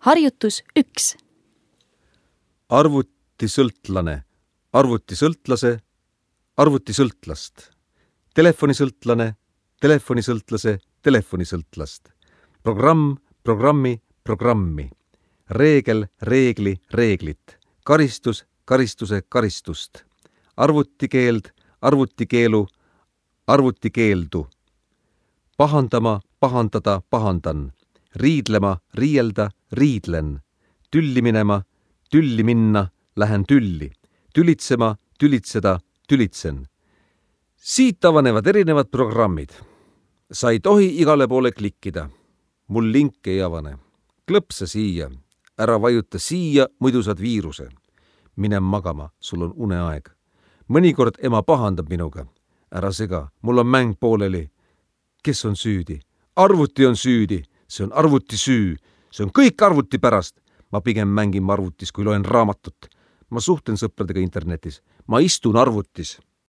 Harjutus 1. Arvutisõltlane, arvutisõltlase, arvutisõltlast. Telefonisõltlane, telefonisõltlase, telefonisõltlast. Programm, programmi, programmi. Reegel, reegli, reeglit. Karistus, karistuse, karistust. Arvutikeeld, arvutikeelu, arvutikeeldu. Pahandama, pahandada, pahandan. Riidlema, riielda, riidlen. Tülli minema, tülli minna, lähen tülli. Tülitsema, tülitseda, tülitsen. Siit avanevad erinevad programmid. Sa ei tohi igale poole klikkida. Mul link ei avane. Klõpsa siia. Ära vajuta siia, muidu saad viiruse. Mine magama, sul on uneaeg. Mõnikord ema pahandab minuga. Ära sega, mul on mäng pooleli. Kes on süüdi? Arvuti on süüdi. See on arvuti süü. See on kõik arvuti pärast. Ma pigem mängin arvutis, kui loen raamatut. Ma suhtlen sõpradega internetis. Ma istun arvutis.